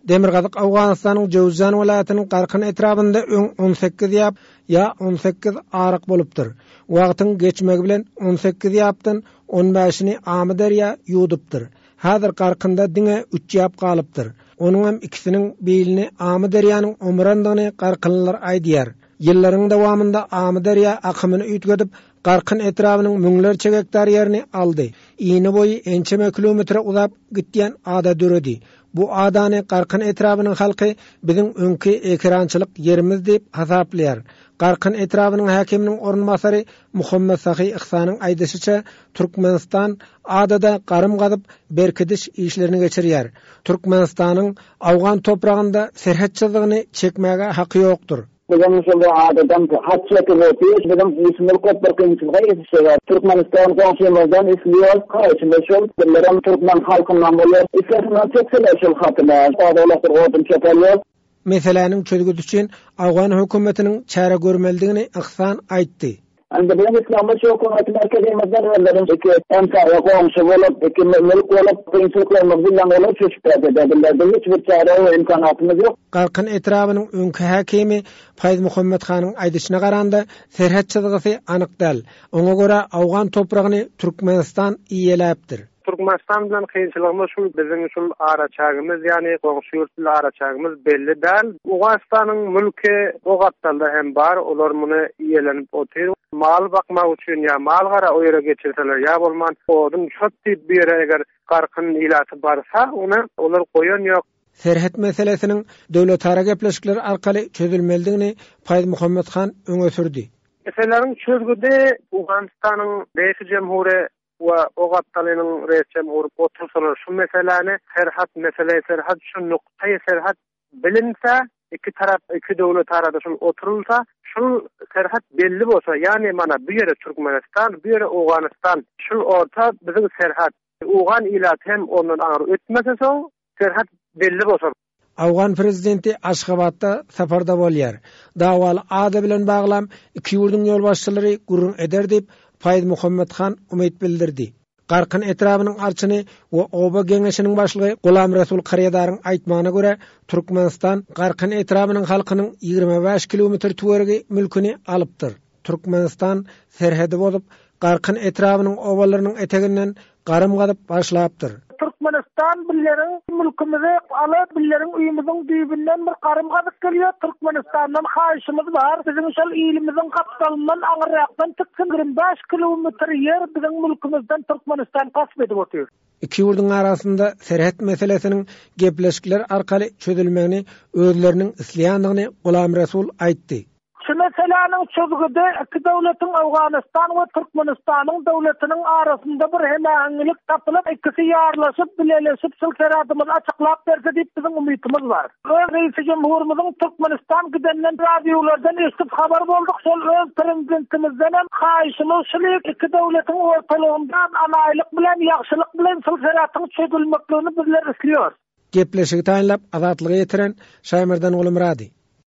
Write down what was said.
Demirgazyk Owganystanyň Jöwüzjan welaýatynyň Garkyn etrabynda öň 18 ýap ýa 18 aryk bolupdyr. Wagtyň geçmegi bilen 18 ýapdan on bäşini Amyderýa ýuwdupdyr. Häzir Garkynda diňe üç ýap galypdyr. Onuňam ikisiniň bilini Amyderýanyň omurandygyny garkynlylar aýdýar. Ýyllaryň dowamynda Amyderýa akymyny üýtgedip, Garkyn etrabynyň müňlerçe gektar ýerini aldy. Ini boýy ençeme kilometre uzap gitýän ada döredi. Bu adany Garkyn etrabynyň halky biziň öňki ekerançylyk ýerimiz diýip hasaplaýar. Garkyn etrabynyň häkiminiň orunbasary Muhammetsahy Yhsanyň aýdyşyça, Türkmenistan adada garym gazyp, berkidiş işlerini geçirýär. Türkmenistanyň owgan topragynda serhet çyzygyny çekmäge haky ýokdur. Biziň şol adadan hat çekip otyr, biziň işimiz köp bir kynçylyga ýetişýär. Türkmenistan goňşymyzdan isleýär, haýyşymyz şol, bizlerem türkmen halkyndan bolýar. Islesinler çekseler şol hatyny, ozalakdyr odun çöp alýar. Meseläniň çözgüdi üçin owgan hökümetiniň çäre görmelidigini Yhsan aýtdy. Indi biziň islegimiz şu hökümeti merkezimizden özleri iki hemsaýa goňşy bolup, iki mülk bolup, kynçylyklarymyzy bilen olar çözüp berse-de, bizlerde hiç bir çäre we imkanatymyz ýok. Garkyn etrabynyň öňki häkimi Paýzmuhammet hanyň aýdyşyna garanda, serhet çyzgysy anyk däl. Oňa görä, owgan topragyny Türkmenistan eýeläpdir. Türkmenistan bilen kynçylygymyz şul biziň şul araçägimiz ýagny goňşy ýurt bilen araçägimiz belli däl. Owganystanyň mülki o gapdalda hem bar olar muny iýelenip otyr. Mal bakmak üçin ýa mal gara o ýere geçirseler ýa bolman odun çöp diýip bu ýere eger garkyn ilaty barsa ony olar goýan ýok. Serhet meselesiniň döwletara gepleşikler arkaly çözülmelidigini Paýzmuhammet han öňe sürdi. Meseleleriň çözgüdi Owganystanyň Reisi Jemhury we o gapdalynyň reis-jemhury otursalar şu meseläni serhat mesele serhat şu nuktaýy serhat bilinse iki tarap iki döwlet arada şul oturylsa şul serhat belli bolsa ýagny mana bu ýere Türkmenistan bu ýere Owganystan şul orta biziň serhat owgan ilaty hem ondan aňry ötmese soň serhat belli bolsa. Owgan prezidenti Aşgabatda saparda bolýar. Dawaly ada bilen baglam iki ýurduň ýolbaşçylary gürrüň eder diýip, Faýzmuhammet han umyt bildirdi. Garkyn etrabynyň arçyny we oba geňeşiniň başlygy Gulamresul Karýadaryň aýtmagyna görä, Türkmenistan Garkyn etrabynyň halkynyň 25 kilometr töweregi mülküni alypdyr. Türkmenistan serhedi bozup, Garkyn etrabynyň obalarynyň eteginden garym gazyp başlapdyr. Türkmenistan billeriň mülkümizi alyp, billeriň öýümiziň düýbünden bir garym gazyp gelýär. Türkmenistandan haýyşymyz bar, biziň şol ilimiziň gapdalyndan aňyrrakdan çyksyn, 25 kilometr ýer biziň mülkümizden Türkmenistan gasp edip otyr. Iki ýurduň arasynda serhet meselesiniň gepleşikler arkaly çözülmegini özleriniň isleýändigini Gulamresul aýtdy. Şu meseläniň çözgüdi iki döwletiň Owganystan we Türkmenistanyň döwletiniň arasynda bir hemäheňilik tapylyp, ikisi ýarlaşyp, bileleşip şul seradymyzy açyklap berse diýip biziň umytymyz bar. Öz reisi jumhurymyzyň Türkmenistan gidenden radiolardan eşidip habar bolduk, şol öz prezidentimizdenem haýyşymyz şul iki döwletiň ortalygynda anaýlyk bilen ýagşylyk bilen şul seratyň çözülmekligini bizler isliýos. Gepleşigi taýynlap Azatlyga ýetiren Şaýmerdan Gulumyrady.